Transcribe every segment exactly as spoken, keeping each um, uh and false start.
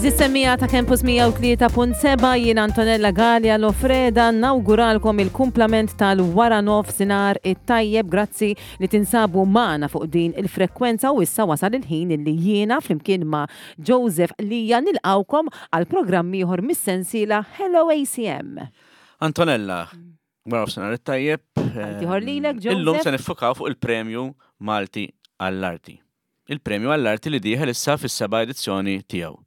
Għeżież semmiegħa ta' Campus mija u tlieta punt seba', jien Antonella Gallia Lofreda nawguralkom il-kumplament tal-wara nofsinhar it-tajjeb. Grazzi li tinsabu magħna fuq din il-frekwenza u issa wasal il-ħin illi jiena flimkien ma' Joseph Lija nilqawkom għal programm ieħor mis-sensiela Hello A C M. Antonella, wara nofsinhar it-tajjeb. Ieħor lilek, Joseph. Illum se niffukaw fuq il-Premju Malti għall-Arti. Il-Premju għall-Arti li dieħel issa fis-seba' edizzjoni tiegħu.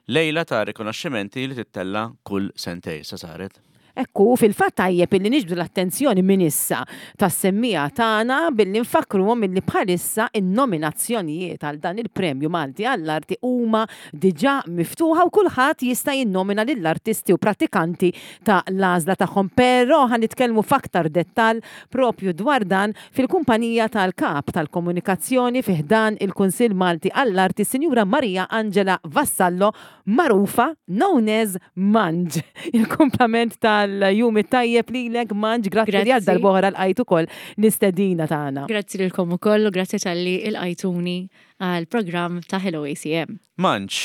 Lejla ta' rikonoxximenti li tittella kull sentejn sa saret. Ekku, fil-fatt tajjeb illi niġbdu l-attenzjoni minn issa tas-semmiegħa tagħna billi nfakruhom illi bħalissa in-nominazzjonijiet għal dan il-Premju Malti għall-Arti huma diġà miftuħa u kulħadd jista' jinnomina lill-artisti u pratikanti ta' l-għażla tagħhom. Però ħa nitkellmu f'aktar dettall propju dwar dan fil-kumpanija tal-kap tal-komunikazzjoni fi ħdan il-Kunsill Malti għall-Arti, Sinjura Maria Angela Vassallo, magħrufa known as Manġ. Il-kumplament tal-jum it-tajjeb lilek, Manġ, grazzi li għal Grazzi. darb'oħra lqajt ukoll l-istedina tagħna. Grazzi lilkom ukoll u grazzi talli lqajtuni għal programm ta' Hello A C M. Manġ,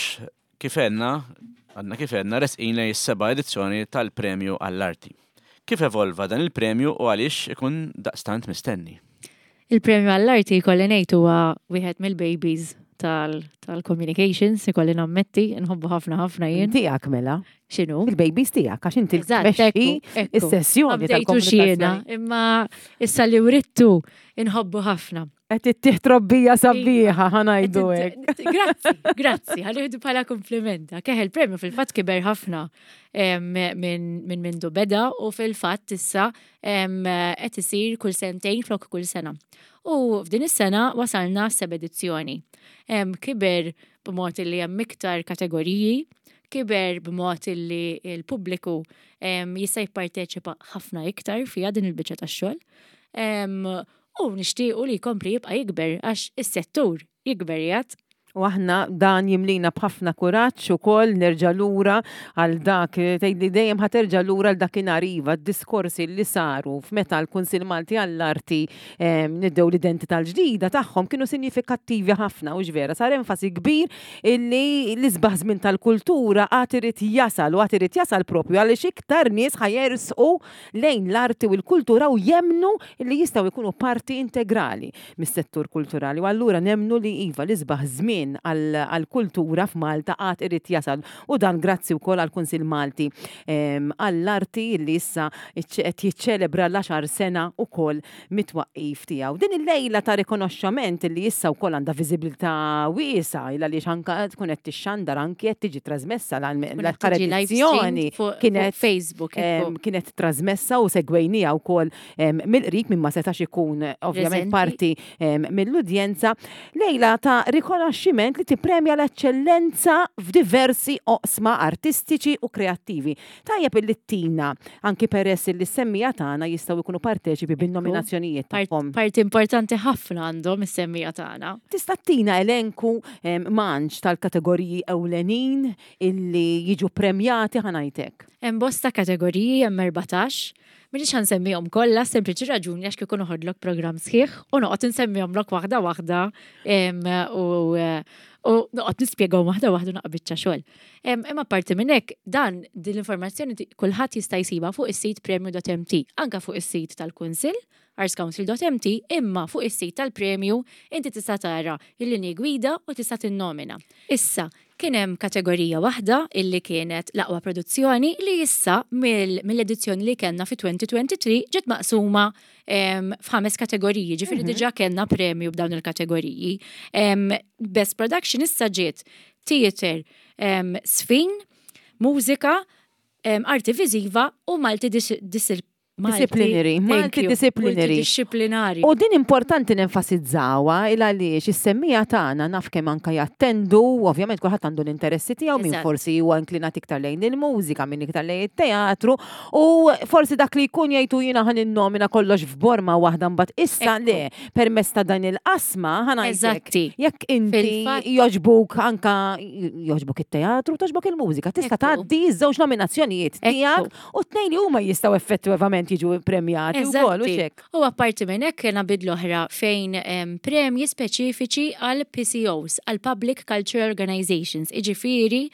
kif għedna, għadna kif għedna, resqin lejn is-seba' edizzjoni tal-Premju għall-Arti. Kif evolva dan il-premju u għaliex ikun daqstant mistenni? Il-Premju għall-Arti, kolli ngħid, huwa wieħed mill-babies tal- tal-communications, ikolli nammetti, nħobbu ħafna ħafna jien. Tiegħek mela, X'inhu? il-babies tiegħek, għax inti Eżatt, tmexxi ekku, ekku. is-sessjoni Għabdejtu xiena, tal-komunikazzjoni. imma issa li writtu inħobbu ħafna. Qed ittih trobbija sabiħa, ħa ngħidu hekk. Grazzi, grazzi, ħa nieħdu bħala komplimenta. Keħ il-premju fil-fatt kiber ħafna em, minn minn mindu beda u fil-fatt issa em, qed isir kull sentejn flok kull sena. U f'din is-sena wasalna seba' edizzjoni. Em, Kiber b'mod li hemm iktar kategoriji, kiber b'mod li l-pubbliku em, jista' jipparteċipa ħafna iktar fiha din il-biċċa tax-xogħol. Em, U nixtiequ li jkompli jibqa' jikber għax is-settur jikber jgħat. U aħna dan jimlina b'ħafna kuraġġ ukoll nerġa' lura għal dak tgħidli dejjem ħa terġa' lura għal dakinhar, iva, d-diskorsi li saru f'meta l-Kunsill Malti għall-Arti em, nidew l-identità l-ġdida tagħhom kienu sinifikattivi ħafna u vera sar enfasi kbir illi l-isbaħ żmien tal-kultura għad irid jasal u għad irid jasal propju għaliex iktar nies ħa jersqu lejn l-arti u l-kultura u jemnu li jistgħu jkunu parti integrali mis-settur kulturali. U allura nemnu li iva, l-isbaħ żmien għal-kultura f'Malta għad irid jasal u dan grazzi wkoll għall-Kunsill Malti em, għall-Arti li issa qed jiċċelebra l-għaxar sena ukoll mit-twaqqif tiegħu. Din il-lejla ta' rikonoxxament li issa wkoll għandha viżibilità wiesgħa il għaliex anka tkun qed tixxandar, anki qed tiġi trasmessa l-aħħar edizzjoni fuq kienet fuq Facebook. em, ekku. Kienet trasmessa u segwejnija wkoll em, mill-qrib minn ma setax ikun eh, ovvjament Preżenti. parti em, mill-udjenza. Lejla ta' rikonoxximent li tippremja l-eċċellenza f'diversi oqsma artistiċi u kreattivi. Tajjeb illi tina, anki peress li s-semmiegħa tagħna jistgħu jkunu parteċipi bin-nominazzjonijiet Part- tagħhom. Parti importanti ħafna għandhom is-semmiegħa tagħna. Tista' tina elenku em, Manġ, tal-kategoriji ewlenin illi jiġu premjati, ħa ngħidlek? Hemm bosta kategoriji, hemm erbatax. M'iniex ħa nsemmihom kollha, sempliċi raġuni għax kieku noħodlok programm sħiħ u noqgħod insemmihomlok waħda waħda em, u u noqgħod nispjegahom waħda waħda, naqra biċċa xogħol. Em, Imma parti minn hekk, dan din l-informazzjoni ti- kulħadd jista' jsibha fuq is-sit premju punt M T, anka fuq is-sit tal-Kunsill artscouncil punt M T, imma fuq is-sit tal-premju inti tista' tara il-linji gwida u tista' tinnomina. Issa, kien hemm kategorija waħda illi kienet l-aqwa produzzjoni li issa mill- mill-edizzjoni li kellna fi elfejn u tlieta u għoxrin ġiet maqsuma em, f'ħames kategoriji, ġifieri diġà kellna premju b'dawn il-kategoriji. Em, Best Production issa ġiet theater, em, żfin, mużika, em, arti viżiva u multi Disciplinary, multidisciplinary. Multidisciplinary. U din importanti nenfasizzawha il għaliex is-semmiegħa tagħna naf kemm anka jattendu, ovvjament kulħadd għandu l-interessi tiegħu, min Eżatt. forsi huwa inklinat iktar lejn il-mużika, min iktar lejn it-teatru, u forsi dak li jkun jgħidu jiena ħa ninnomina kollox f'borma waħda, mbagħad issa Ekku. le, permezz ta' dan il-qasma, ħa ngħidlek. Eżatti. Jekk inti Fil-fatt- joġbuk anka joġbuk it-teatru, toġbok il-mużika, tista' Ekku. tgħaddi ż-żewġ nominazzjonijiet Ekku. tiegħek u tnejn li huma jistgħu effettivament jiġu premjati wkoll u Eżatti. xek. U apparti minn hekk kena bidla oħra fejn em, premji speċifiċi għal P C Os, għal Public Cultural Organizations, iġifieri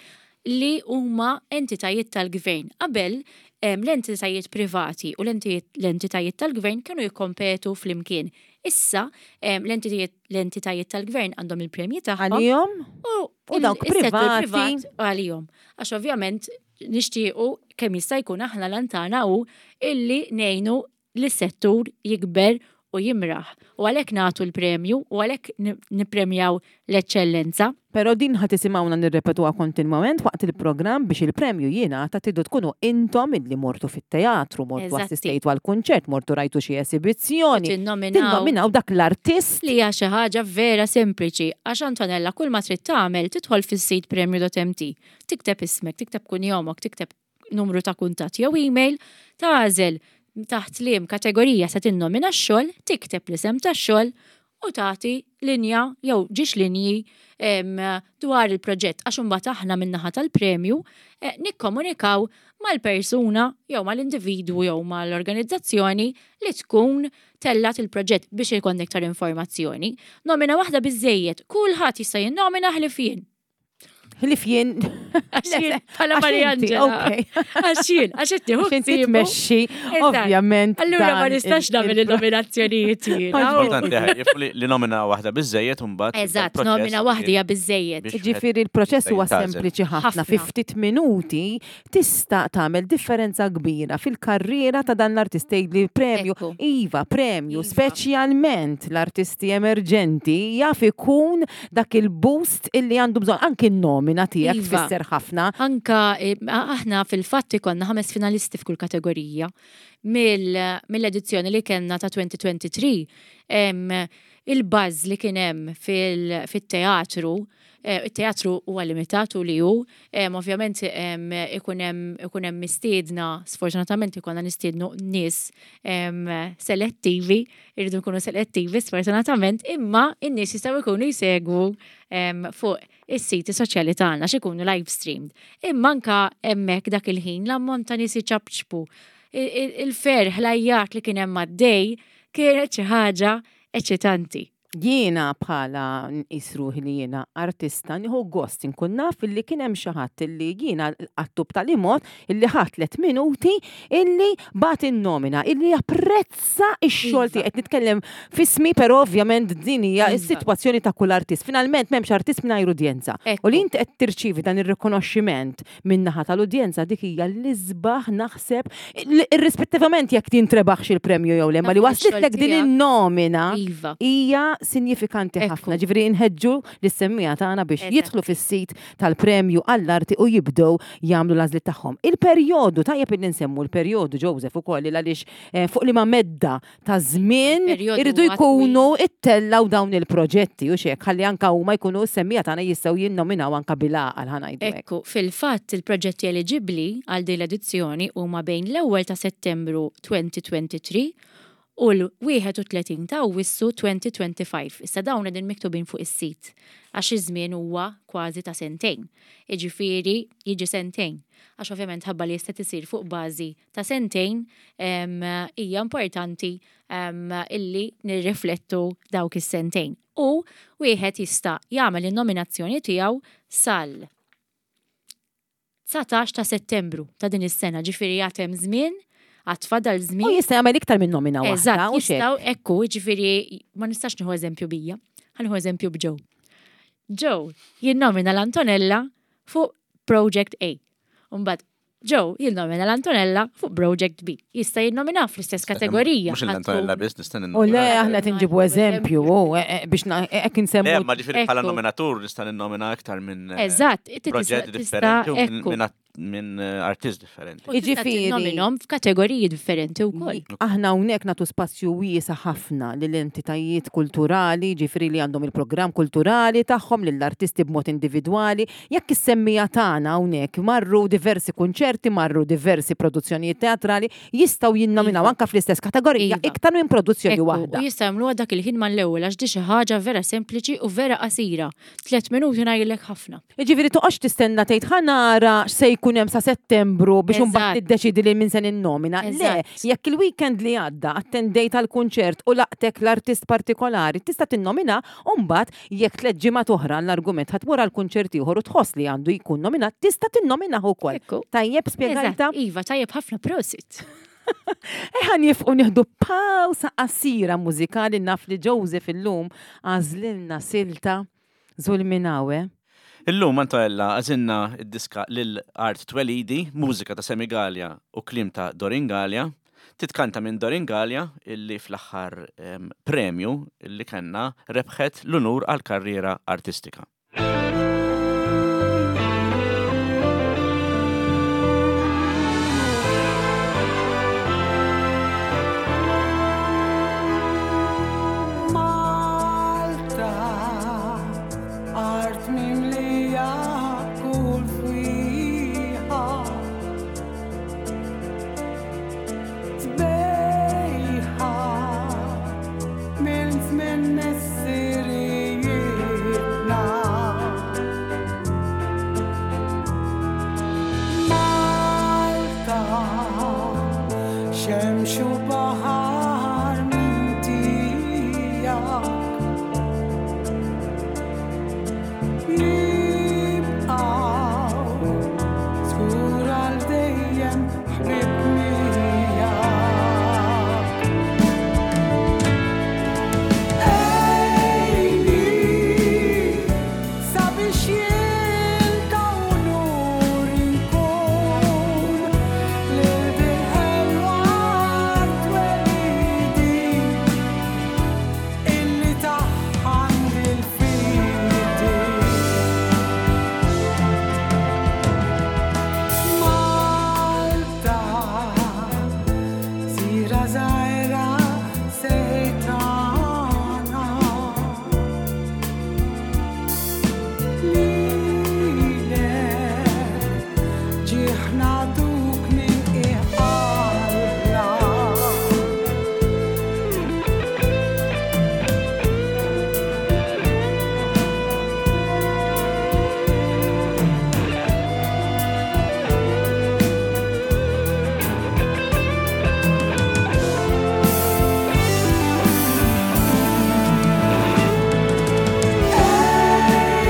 li huma entitajiet tal-gvern. Qabel em, l-entitajiet privati u l-entitajiet l-entitajiet tal-gvern kienu jikkompetu flimkien. Issa em, l-entitajiet l-entitajiet tal-gvern għandhom il-premji tagħhom Għalihom? u U dawk il- is-settur privati. privat għalihom. Għax ovvjament nixtiequ kemm jista' jkun aħna l-għan tagħna hu illi ngħinu lis-settur jikber u jimraħ. U għalhekk nagħtu l-premju u għalhekk ni- nippremjaw l-eċċellenza. Pero din ħa tisimgħuna nirrepetuha kontinwament waqt il-programm biex il-premju jingħata tridu tkunu intom illi mortu fit-teatru, mortu Eżatti. assistejtu għal-kunċert, mortu rajtu xi esibizzjoni. Tinnominaw Tinnominaw dak l-artist li hija xi ħaġa vera sempliċi għax Antonella kull ma trid tagħmel tidħol fis-sit premju dot M T, tikteb ismek, tikteb kunjomok, tikteb numru ta' kuntatt jew email, tagħżel taħt liem kategorija se tinnomina x-xogħol, tikteb l-isem tax-xogħol u tagħti linja jew żewġ linji em, dwar il-proġett, għax imbagħad aħna min-naħa tal-premju eh, nikkomunikaw mal-persuna jew mal-individwu jew mal-organizzazzjoni li tkun tellat il-proġett biex ikun iktar informazzjoni. Nomina waħda biżejjed, kulħadd jista' jinnomina ħlief jien. Ħlief jien. Għax jien bħala Għax Maria inti, Angela. ok. Għax jien, għax qed nieħu Għax inti ħsiebu. tmexxi, Eżatt. ovvjament. Allura ma dan nistax il- nagħmel il- il-nominazzjonijiet jiena. Importanti ħaj, li, li nomina waħda biżejjed u mbagħad Eżatt, il-proċess nomina waħda hija biżejjed. biex Ġifieri il-proċess huwa jintgħażel. sempliċi ħafna. Ħafna. Fi ftit minuti tista' tagħmel differenza kbira fil-karriera ta' dan l-artist. Tgħid li premju, Ekku. iva, premju, Iva. speċjalment l-artisti emerġenti jaf ikun dak il-boost illi għandu bżonn, anki n-nomina tiegħek Iva. tfisser ħafna. Anka eh, aħna fil-fatt ikollna ħames finalisti f'kull kategorija. Mill- Mill-edizzjoni li kellna ta' elfejn u tlieta u għoxrin, em, il-buzz li kien hemm fil- fit-teatru, eh, il-teatru huwa limitat u li hu, em, ovvjament em, ikun hemm ikun hemm mistiedna, sfortunatament ikollna nistiednu nies em, selettivi, irridu nkunu selettivi sfortunatament, imma in-nies jistgħu jkunu jsegwu em, fuq is-siti soċjali tagħna x'ikunu live streamed. Imma anka hemmhekk dak il-ħin l-ammont ta' nies iċapċpu, il- il- il-ferħ, l-għajjat li kien hemm għaddej kienet xi ħaġa eċitanti. Jiena bħala nqis ruħi li jiena artista nieħu gost inkun naf illi kien hemm xi ħadd illi jiena għattu b'tali mod illi ħadd tliet minuti illi bagħat in-nomina, illi japprezza x-xogħol Iva. tiegħi. Qed nitkellem f'ismi, però ovvjament din hija Iva. s-sitwazzjoni ta' kull artist. Finalment m'hemmx artist mingħajr udjenza. Ekku. U li inti qed tirċievi dan ir-rikonoxximent min-naħa tal-udjenza, dik hija l-isbaħ naħseb, irrispettivament jekk tintrebaħx il-premju jew le, ma li Naf ix-xogħol waslitlek din tiegħek. in-nomina Iva. hija sinjifikanti Ekku. ħafna. Ġifieri inħeġġu lis-semmiegħa tagħna biex Eżatt. jidħlu fis-sit tal-premju għall-arti u jibdew jagħmlu l-għażliet tagħhom. Il-perjodu, tajjeb illi nsemmu l-perjodu, Joseph, ukoll għaliex eh, fuq liema medda ta' żmien Perjodu iridu huwa jkunu ittellaw dawn il-proġetti u xek ħalli anka huma jkunu s-semmiegħa tagħna jistgħu jinnominaw anka bil-għaqal, ħa ngħidu hekk. Ekku, fil-fatt il-proġetti eliġibbli għal din l-edizzjoni huma bejn l-ewwel ta' Settembru elfejn u tlieta u għoxrin u l-wieħed u tletin ta' Awwissu elfejn u ħamsa u għoxrin. Issa dawn qegħdin miktubin fuq is-sit għax iż-żmien huwa kważi ta' sentejn. Jiġifieri jiġi sentejn. Għax ovvjament ħabba li jista' tisir fuq bażi ta' sentejn em, hija importanti em, illi nirriflettu dawk is-sentejn. U wieħed jista' jagħmel in-nominazzjoni tiegħu sal dsatax ta' Settembru ta' din is-sena, ġifieri għad hemm żmien, għad fadal U żmien. jista' jagħmel iktar minn nomina waħda Eżatt, u xek. jistgħu ekku, ġifieri ma nistax nieħu eżempju bija, ħa nieħu eżempju b'Joe. Joe jinnomina l-Antonella fuq Project A. Umbagħad Joe jinnomina l-Antonella fuq Project B. Jista' jinnomina fl-istess kategorija. Mhux l-Antonella biss, nista' U le, aħna qed inġibu eżempju, u eh, eh, biex na- eh, hekk Le, insemmu ma ġifieri bħala Ekku. nominatur nista' ninnomina aktar minn eh, Eżatt, inti tista' proġett tista' differenti u minn- ekku. minn minn eh, artist differenti. U tista' Jiġifieri- tinnominhom f'kategoriji differenti wkoll. Aħna hawnhekk nagħtu spazju wiesa' ħafna lill-entitajiet kulturali, ġifieri li għandhom il-programm kulturali tagħhom, lill-artisti b'mod individwali. Jekk is-semmiegħa tagħna hawnhekk marru diversi kunċerti, marru diversi produzzjonijiet teatrali, jistgħu jinnominaw Iva. anka fl-istess kategorija Iva. iktar minn produzzjoni Ekku, waħda. U jista' jagħmluha dak il-ħin mal-ewwel għax di xi ħaġa vera sempliċi u vera qasira. Tliet minuti ngħidlek ħafna. Ġifieri toqgħodx tistenna tgħid ħa nara x'se jkun nkun hemm sa Settembru biex imbagħad Eżatt. niddeċidi li min se ninnomina. Le, Eżatt. jekk il-weekend li għadda attendejt għal kunċert u laqtek l-artist partikolari, tista' tinnomina u mbagħad jekk tliet ġimgħat oħra l-argument ħa tmur għal kunċert ieħor u tħoss li għandu jkun nominat, tista' tinnominah ukoll. Ekku. Tajjeb spjegajta? Eżatt, Iva, tajjeb ħafna prosit. Ħa nieqfu nieħdu pawsa qasira mużikali naf li Joseph illum għażlilna silta Zulminawe. Illum Antonella għażilna id-diska lil Art Twelidi, mużika ta' Sammy Galea u kliem ta' Doreen Galea, titkanta minn Doreen Galea illi fl-aħħar em, premju illi kellna rebħet l-unur għal karriera artistika. Malta, art mimlija kull fwieħa. Sbejħa minn żmien missirijietna. Malta, xemx u baħar minn tiegħek. Nibqgħu żgur għal dejjem ħbieb miegħek. Ejni, sabiex jien ta' unur inkun lil dil-ħelwa art twelidi illi tagħha għandi l-fidi. Malta, gżira żgħira sejtana. Lilek ġieħ nagħtuk minn qiegħ qalbna.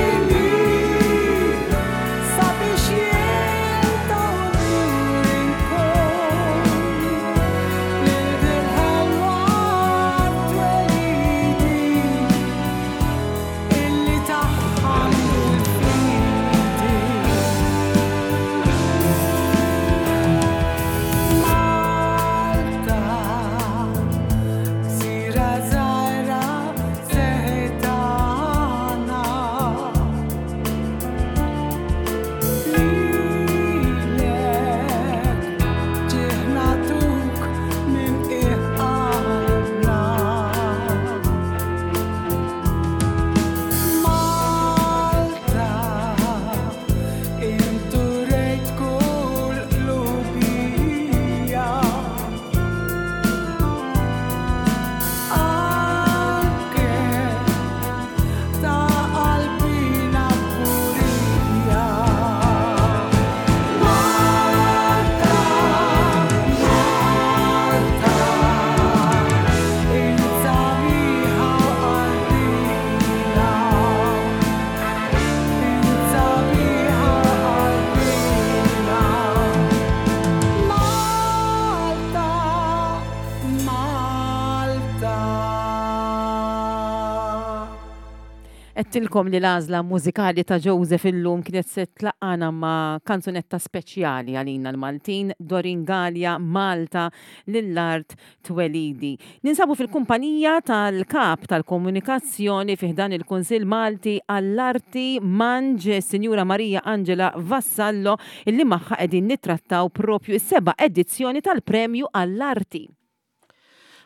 Ejni, sabiex jien ta' unur inkun lil dil-ħelwa art twelidi illi tagħha għandi l-fidi. Malta, gżira żgħira sejtana. Lilek ġieħ nagħtuk minn qiegħ qalbna. Malta, intu rejt kull qlubija. Anke ta' qalbina purija. Malta, Malta, int sabiħa qalbina. Int sabiħa qalbina. Malta, Malta. Għedtilkom li l-għażla mużikali ta' Joseph illum kienet se tlaqqana ma' kanzunetta speċjali għalina l-Maltin, Doreen Galea, Malta, lill-art twelidi. Ninsabu fil-kumpanija tal-kap tal-komunikazzjoni fi ħdan il-Kunsill Malti għall-Arti Manġ, Sinjura Maria Angela Vassallo, illi magħha qegħdin nittrattaw propju is-seba' edizzjoni tal-Premju għall-Arti.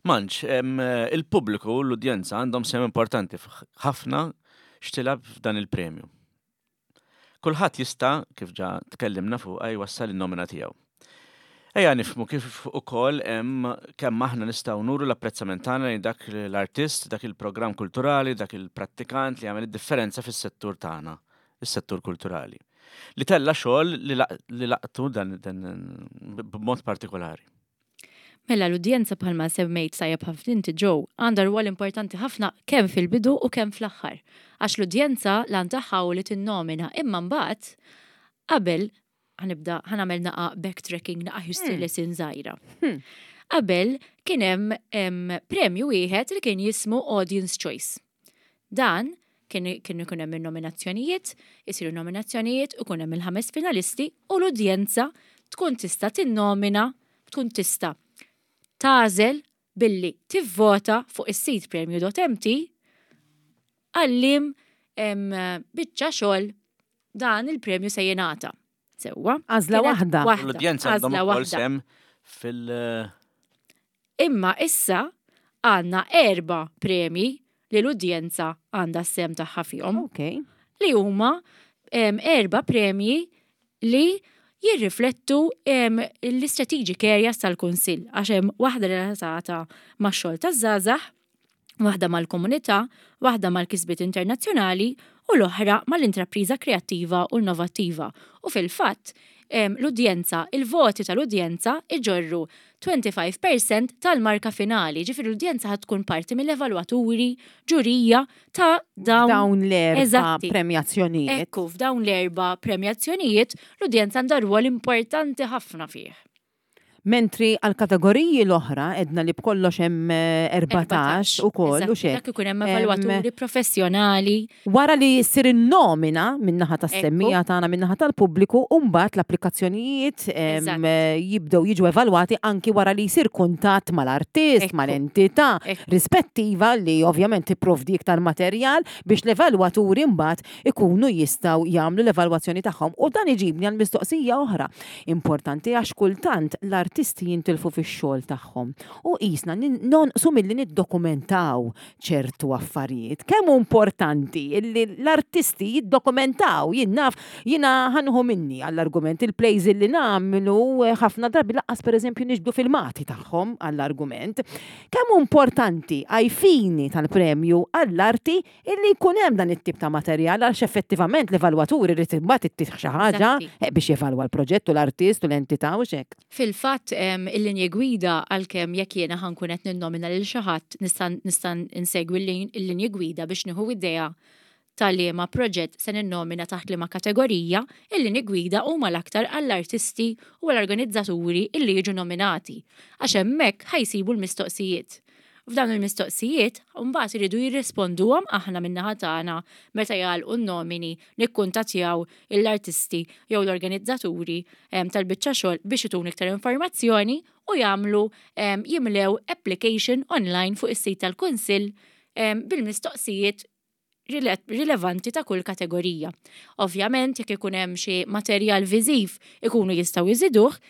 Manġ, em, il-pubbliku u l-udjenza għandhom sehem importanti ħafna x'tilgħab f'dan il-premju. Kulħadd jista', kif ġa tkellimna fuq, jwassal in-nomina tiegħu. Ejja nifhmu kif ukoll hemm kemm aħna nistgħu nuru l-apprezzament tagħna lejn dak l-artist, dak il-programm kulturali, dak il-prattikant li jagħmel id-differenza fis-settur tagħna, is-settur kulturali. Li tella xogħol li laq- li laqtu dan dan b'mod partikolari. Mela l-udjenza bħalma semmejt tajjeb ħafna inti Joe għandha rwol importanti ħafna kemm fil-bidu u kemm fl-aħħar. Għax l-udjenza l tagħha hu li tinnomina imma mbagħad qabel ħa nibda ħa nagħmel naqa backtracking naqa history lesson żgħira. Qabel kien hemm em, premju wieħed li kien jismu Audience Choice. Dan kien kien ikun hemm in-nominazzjonijiet, isiru nominazzjonijiet u kun hemm il-ħames finalisti u l-udjenza tkun tista' tinnomina, tkun tista' tagħżel billi tivvota fuq is-sit premju punt M T għal liema biċċa xogħol dan il-premju se jingħata. Sewwa. Għażla Kienet waħda. L-udjenza għandhom Għażla ukoll waħda. sem fil- Imma issa għandna erba premji li l-udjenza għandha s-sem tagħha fihom. Ok. Li huma em, erba premji li jirriflettu em, l-strategic areas tal-Kunsill, għax hemm waħda relatata max-xogħol taż-żgħażagħ, waħda mal-komunità, waħda mal-kisbiet internazzjonali u l-oħra mal-intrapriża kreattiva u innovattiva. U fil-fatt, em, l-udjenza, il-voti tal-udjenza iġorru twenty-five percent tal-marka finali. Ġifieri l-udjenza ħad tkun parti mill-evalwaturi, ġurija ta' dawn Dawn l-erba Eżatti. premjazzjonijiet. Ekku, f'dawn l-erba premjazzjonijiet, l-udjenza għandha rwol importanti ħafna fih. Mentri għal kategoriji l-oħra edna li b'kollox hemm eh, erbatax ukoll u Eżatti, xek. Dak ikun hemm evalwaturi professjonali. Wara li jsir in-nomina min-naħa tas-semmija Ekku. tagħna, min-naħa tal-pubbliku, u mbagħad l-applikazzjonijiet em, Eżatt. eh, jibdew jiġu evalwati anki wara li jsir kuntatt mal-artist, Ekku. mal-entità Ekku. rispettiva li ovvjament tipprovdi iktar materjal biex l-evalwaturi mbagħad ikunu jistgħu jagħmlu l-evalwazzjoni tagħhom. U dan iġibni għal mistoqsija oħra importanti, għax kultant l-artisti jintilfu fix-xogħol tagħhom u qisna nonqsu milli niddokumentaw ċertu affarijiet. Kemm hu importanti illi l-artisti jiddokumentaw? Jien naf, jiena ħa nieħu minni għall-argument, il-plays illi nagħmlu eh, ħafna drabi lanqas pereżempju niġbdu filmati tagħhom għall-argument. Kemm hu importanti ai fini tal-premju għall-arti illi jkun hemm dan it-tip ta' materjal, għax effettivament l-evalwaturi irid imbagħad ittih xi ħaġa Eżatti. eh, biex jevalwa l-proġett u l-artist u l-entità u xek. Fil-fatt, em, il-linji gwida, għalkemm jekk jiena ħa nkun qed ninnomina lil xi ħadd nista' nista' insegwi l-lin- il-linji gwida biex nieħu idea ta' liema proġett se ninnomina taħt liema kategorija, il-linji gwida huma l-aktar għall-artisti u għall-organizzaturi illi jiġu nominati. Għax hemmhekk ħa jsibu l-mistoqsijiet. F'dawn il-mistoqsijiet, mbagħad iridu jirrisponduhom. Aħna min-naħa tagħna, meta jagħlqu n-nomini, nikkuntattjaw l-artisti jew l-organizzaturi em, tal-biċċa xogħol biex itun iktar informazzjoni u jagħmlu em, jimlew application online fuq is-sit tal-Kunsill em, bil-mistoqsijiet rile- rilevanti ta' kull kategorija. Ovvjament, jekk ikun hemm xi materjal viżiv ikunu jistgħu jżiduh,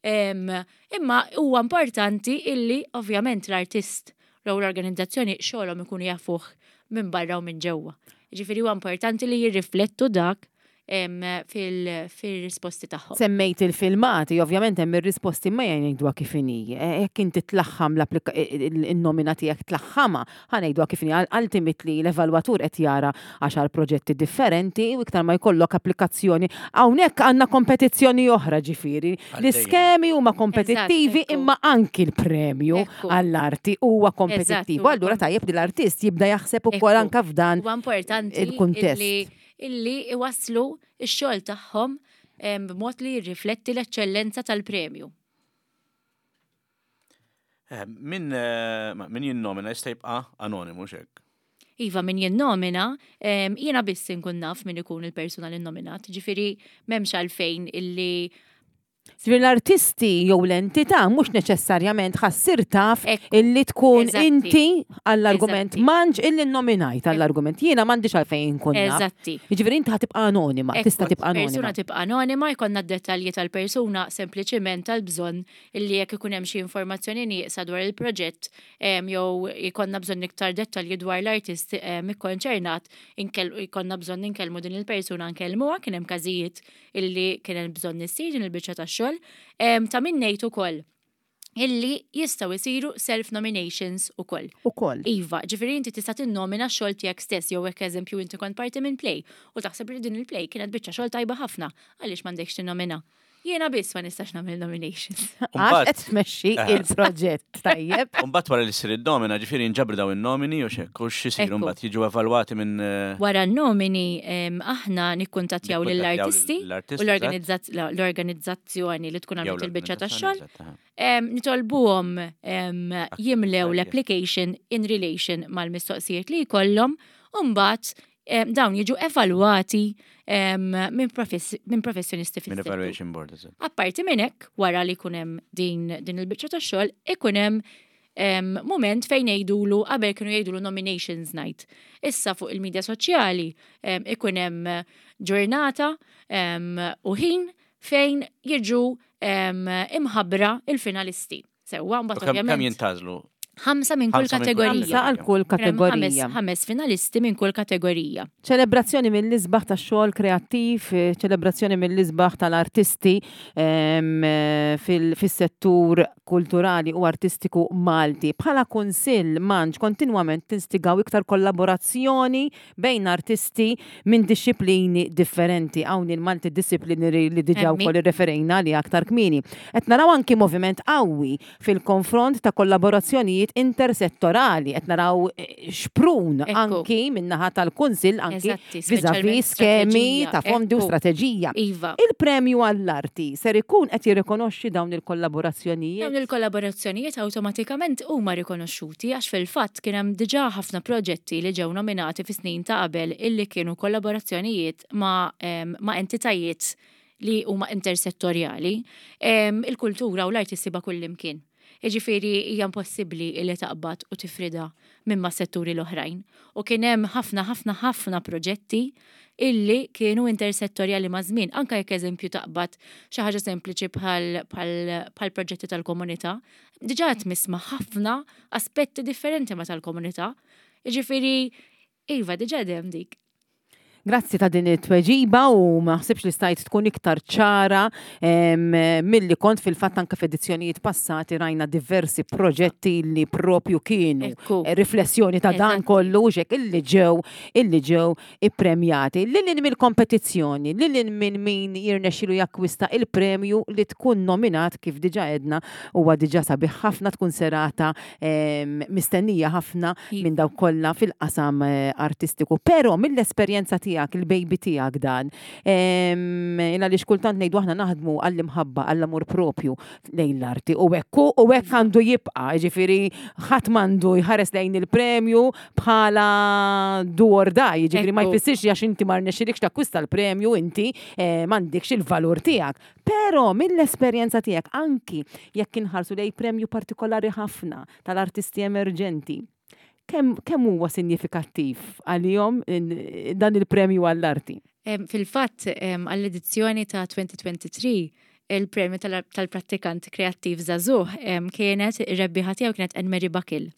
em, imma huwa importanti illi ovvjament l-artist jew l-organizzazzjoni xogħolhom ikunu jafuh minn barra u minn ġewwa. Ġifieri huwa importanti li jirriflettu dak em, fil- fil-risposti tagħhom. Semmejt il-filmati, ovvjament hemm ir-risposti, ma jgħidwa kif inhi. E, Jekk inti tlaħħam l-applika- il-nomina tiegħek tlaħħamha, ħa ngħidwa kif inhi, ultimately l-evalwatur qed jara għaxar proġetti differenti u iktar ma jkollok applikazzjoni. Hawnhekk għandna kompetizzjoni oħra ġifieri. L-iskemi huma kompetittivi, ekku. imma anki l-premju Ekku. għall-arti huwa kompetittiv. Eżatt, huwa Allura tajjeb li l-artist jibda jaħseb ukoll Ekku. anka f'dan Huwa importanti il-kuntest. illi illi iwasslu x-xogħol tagħhom em, b'mod li jirrifletti l-eċċellenza tal-premju. Eh, Min eh, ma- min jinnomina jista' jibqa' anonimu xek. Iva, min jinnomina, em, jiena biss inkun naf min ikun il-persuna li nominat. Ġifieri m'hemmx għalfejn illi Ġifieri l-artisti jew l-entità mhux neċessarjament ħa ssir taf Ekku, illi tkun eżatti. inti għall-argument Eżatti. manġ illi nominajt għall-argument. Jiena m'għandix għalfejn nkun naf. Eżatti. Jiġifieri inti ħa tibqa' anonima, Ekku, tista' tibqa' anonima. Persuna tibqa' anonima, jkollna d-dettalji tal-persuna sempliċiment tal-bżonn illi jekk ikun hemm xi informazzjoni nieqsa dwar il-proġett em, jew jkollna bżonn iktar dettalji dwar l-artist em, ikkonċernat, inkell- jkollna bżonn inkellmu din il-persuna, nkellmuha. Kien hemm każijiet illi kien hemm bżonn issir din il-biċċa tax-xogħol. Em, Ta' min ngħid ukoll Illi jistgħu jsiru self-nominations ukoll. Ukoll. Iva, ġifieri inti tista' tinnomina x-xogħol tiegħek stess, jew hekk eżempju inti kont parti minn play u taħseb li din il-play kienet biċċa xogħol tajba ħafna, għaliex m'għandekx tinnomina? Jiena biss ma nistax nagħmel nominations. Għax qed tmexxi Eh. il-proġett, tajjeb. Umbagħad wara li ssir id-nomina, ġifieri nġabru daw in-nomini u xek, u x'isiru Ekku. mbagħad jiġu evalwati minn eh, Wara n-nomini em, aħna nikkuntattjaw nikkuntattjaw lill-artisti lill-artisti, u l-organizzaz- l-organizzazzjoni li tkun jew għamlet il-biċċa tax-xogħol. l-organizzazzjoni, eżatt, aha. Em, Nitolbuhom em, jimlew tajjeb. l-application in relation mal-mistoqsijiet li jkollhom u mbagħad em, dawn jiġu evalwati em, minn profess- minn professjonisti Minn fis-settur. evaluation board, eżatt. Apparti minn hekk, wara li jkun hemm din, din il-biċċa tax-xogħol, ikun hemm em, moment fejn jgħidulu, qabel kienu jgħidulu nominations night. Issa fuq il-medja soċjali em, ikun hemm ġurnata em, u ħin fejn jiġu em, imħabbra il-finalisti. Sewwa, U mbagħad kemm kemm ovvjament jintgħażlu? Ħamsa minn kull Ħamsa minn kull kategorija. Ħamsa għal kull Kien hemm kategorija. Ħames, ħames finalisti minn kull kategorija. Ċelebrazzjoni mill-isbaħ ta' xogħol kreattiv, eh, ċelebrazzjoni mill-isbaħ tal-artisti em, eh, fil- fis-settur kulturali u artistiku Malti. Bħala kunsill manġ kontinwament tinstigaw iktar kollaborazzjoni bejn artisti minn disċiplini differenti. Hawn il-multidisciplinary li diġà Emmi. wkoll irreferejna li aktar kmieni. Qed naraw anki moviment qawwi fil-konfront ta' kollaborazzjonijiet intersettorali. Qed naraw eh, xprun Ekku. anki min-naħa tal-Kunsill anki Eżatti, vis-a-vis speċjalment skemi strateġija, ta' fondi u ekku. strateġija. Iva. Il-premju għall-arti ser ikun qed jirrikonoxxi dawn il-kollaborazzjonijiet? Dawn il-kollaborazzjonijiet awtomatikament huma rikonoxxuti għax fil-fatt kien hemm diġà ħafna proġetti li ġew nominati fi snin ta' qabel illi kienu kollaborazzjonijiet ma', em, ma' entitajiet li huma intersettorjali. Em, Il-kultura u l-arti ssibha kullimkien. Jiġifieri hija impossibbli li taqbad u tifrida minn ma' setturi l-oħrajn. U kien hemm ħafna ħafna ħafna proġetti illi kienu intersettorjali ma' żmien. Anka jekk eżempju taqbad xi ħaġa sempliċi bħal bħal bħal proġetti tal-komunità, diġà qed misma' ħafna aspetti differenti ma' tal-komunità. Jiġifieri iva, diġà hemm dik. Grazzi ta' din it-tweġiba u ma ħsibx li stajt tkun iktar ċara em, milli kont. Fil-fatt anke f'edizzjonijiet passati rajna diversi proġetti li propju kienu Ekku. riflessjoni ta' dan Eżatti. kollu xek illi ġew illi ġew ippremjati. Lil mill-kompetizzjoni, lil minn min jirnexxilu jakkwista il-premju, li tkun nominat, kif diġà għedna, huwa diġà sabiħ ħafna, tkun serata em, mistennija ħafna Iva. minn dawk kollha fil-qasam eh, artistiku. Però mill-esperjenza tiegħek, il-baby tiegħek dan, em, għaliex kultant ngħidu aħna naħdmu għall-imħabba, għall-amur propju lejn l-arti u hekk u hekk għandu jibqa', ġifieri ħadd m'għandu jħares lejn il-premju bħala do or die, ġifieri ma Ekku. jfissirx li għax inti ma rnexxilekx takkwista l-premju inti eh, m'għandekx il-valur tiegħek. Però mill-esperjenza tiegħek, anki jekk inħarsu lejn premju partikolari ħafna tal-artisti emerġenti, kemm kemm huwa sinjifikattiv għalihom in- dan il-premju għall-arti? Em, Fil-fatt, em, għall-edizzjoni ta' elfejn u tlieta u għoxrin, il-premju tal- tal-prattikant kreattiv żagħżugħ em, kienet ir-rebbieħa tiegħu kienet Anne-Marie Bakil.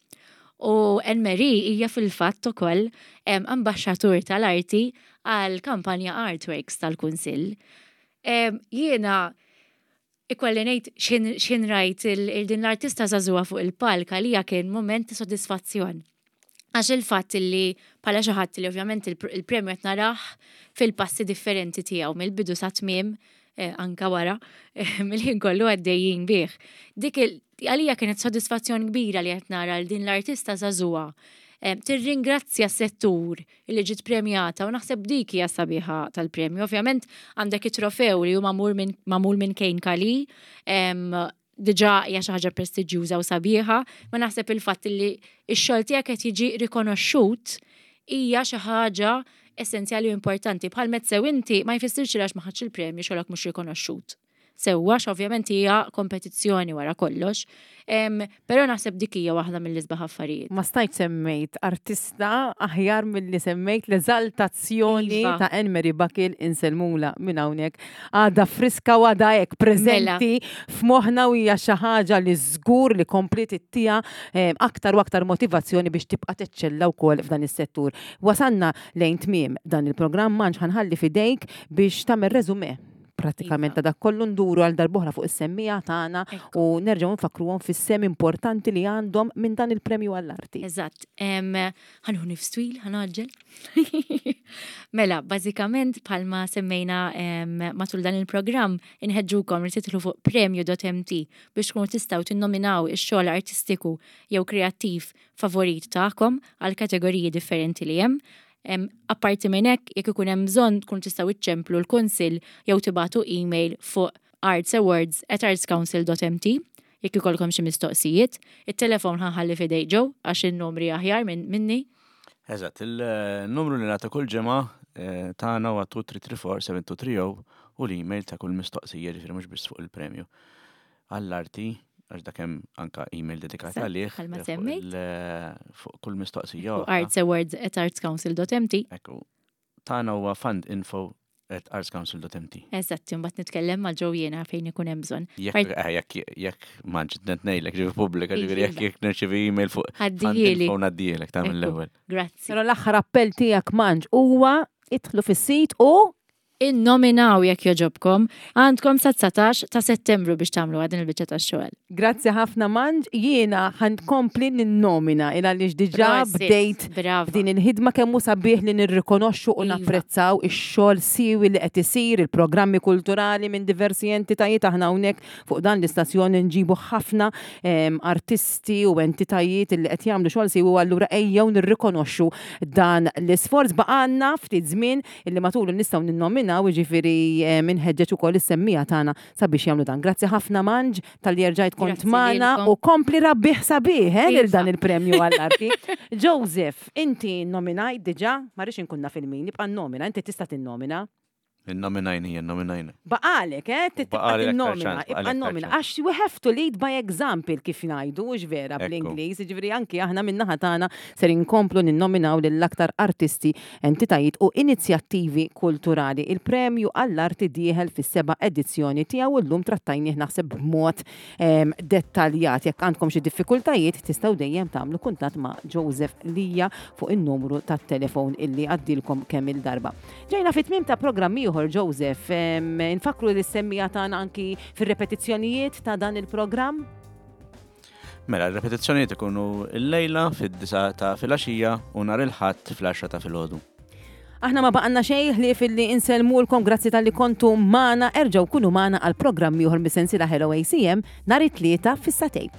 U Anne-Marie hija fil-fatt ukoll em, ambaxxatur tal-arti għal kampanja Artworks tal-Kunsill. Em, Jiena ikolli ngħid xin xin rajt il- il din l-artista żagħżugħa fuq il-palk, għalija kien moment ta' sodisfazzjon. Għax il-fatt li bħala xi ħadd li ovvjament il- il-premju qed narah fil-passi differenti tiegħu mill-bidu sa tmiem, eh, anka wara, eh, mill-ħin kollu għaddejjin bih. Dik il- għalija kienet sodisfazzjon kbira li qed nara l din l-artista żagħżugħa eh, tirringrazzja s-settur li ġiet premjata u naħseb dik hija sabiħa tal-premju. Ovvjament għandek it-trofew li hu magħmul minn magħmul minn Kane Kali, em, diġà hija xi ħaġa prestiġjuża u sabiħa, ma naħseb il-fatt li x-xogħol tiegħek qed jiġi rikonoxxut hija xi ħaġa essenzjali u importanti. Bħal sew inti, ma jfissirx li għax ma ħadx il-premju xogħolok mhux rikonoxxut. Sewwa, ovvjament hija kompetizzjoni wara kollox, Em, però naħseb dik hija waħda mill-isbaħ affarijiet. Ma stajt semmejt artista aħjar mill-li semmejt l-eżaltazzjoni Iva. ta' Anne-Marie Bakil. Insellmulha minn hawnhekk. Għadha friska u għadha hekk preżenti f'moħħna u hija xi ħaġa li żgur li kompliet ittiha eh, aktar u aktar motivazzjoni biex tibqa' teċċella wkoll f'dan is-settur. Wasanna lejn tmiem dan il-programm, manġ ħa nħalli f'idejk biex tagħmel resume pratikament Iva. ta' dak kollu, nduru għal darb'oħra fuq is-semmiegħa tagħna Ekku. u nerġgħu nfakruhom fis-sehem importanti li għandhom minn dan il-premju għall-arti. Eżatt. Em, Ħa nieħu nifs twil, ħa ngħaġġel. Mela, bażikament bħalma semmejna em, matul dan il-programm, inħeġġukom li tidħlu fuq premju punt M T biex tkunu tistgħu tinnominaw ix-xogħol artistiku jew kreattiv favorit tagħkom għal kategoriji differenti li hemm. Em, Apparti minn hekk, jekk ikun hemm bżonn, tkunu tistgħu iċċemplu l-kunsill jew tibagħtu email fuq artsawards at artscouncil dot M T jekk ikollkom xi mistoqsijiet. Il-telefon ħa nħalli f'idejn Joe għax in-numri aħjar minn minni. Eżatt, il-numru li nagħtu kull ġimgħa eh, tagħna huwa tnejn tlieta tlieta erba' seba' tnejn tlieta zero u l-email ta' kull mistoqsija, ġifieri mhux biss fuq il-premju għall-arti, għax dak hemm anka email dedikat Eżatt, għalih bħalma eh, fuq semmejt. il- fuq kull mistoqsija Fuq oħra. artsawards at artscouncil dot M T. Ekku. Tagħna huwa fundinfo at artscouncil dot M T. Eżatt, imbagħad nitkellem ma' Joe jiena fejn ikun hemm bżonn. Jekk eh, jekk jekk m'għandx ngħidlek ġifi pubblika, ġifieri jekk Iva. jekk nirċivi email fuq Għaddihieli. fundinfo ngħaddielek ta' Ekku. mill-ewwel. Grazzi. Però l-aħħar appell tiegħek, Manġ, huwa idħlu fis-sit u Innominaw jekk joġobkom, għandkom sa dsatax ta' Settembru biex tagħmlu din il-biċċa tax-xogħol. Grazzi ħafna, Manġ, jiena ħa nkompli ninnomina il għaliex diġà Prosit, bdejt Brava. din il-ħidma. Kemm hu sabiħ li nirrikonoxxu u Iva. napprezzaw ix-xogħol siwi li qed isir, il-programmi kulturali minn diversi entitajiet. Aħna hawnhekk fuq dan l-istazzjon nġibu ħafna em, artisti u entitajiet li qed jagħmlu xogħol siwi u allura ejjew nirrikonoxxu dan l-isforz. Baqgħalna ftit żmien illi matulu nistgħu ninnominaw, jiġifieri em, inħeġġeġ ukoll is-semmiegħa tagħna sabiex jagħmlu dan. Grazzi ħafna, Manġ, talli erġajt kont Grazzi magħna lilkom. u kompli rabbiħ sabiħ eh, lil Iva. dan il-premju għall-arti. Joseph, inti nominajt diġà, ma rridx inkun naf il-min, nibqa' nomina, inti tista' tinnomina. Innominajna, hija nominajna. Baqalek, eh, tibqa' Baqali aktar tinnomina, ċans, ibqa' baqali aktar nomina. ċans. Għax we have to lead by example, kif ngħidu, mhux vera Ekku. bl-Ingliż, ġifieri anki aħna min-naħa tagħna ser inkomplu ninnominaw lill-aktar artisti, entitajiet u inizjattivi kulturali. Il-premju għall-arti dieħel fis-seba' edizzjoni tiegħu u llum trattajnih naħseb b'mod em, dettaljat. Jekk għandkom xi diffikultajiet, tistgħu dejjem tagħmlu kuntatt ma' Joseph Lija fuq in-numru tat-telefon illi għaddilkom kemm il-darba. Ġejna fit-tmiem ta' programm ieħor, Joseph, em, infakru lis-semmiegħa tagħna anki fir-repetizzjonijiet ta' dan il-programm. Mela, il-repetizzjonijiet ikunu il-lejla fid-disgħa ta' filgħaxija u nhar il-Ħadd fl-għaxra ta' filgħodu. Aħna ma baqgħalna xejn ħlief illi insellmulkom. Grazzi talli kontu magħna, erġgħu kunu magħna għal programm ieħor mis-sensiela Hello A C M nhar it-Tlieta fis-sagħtejn.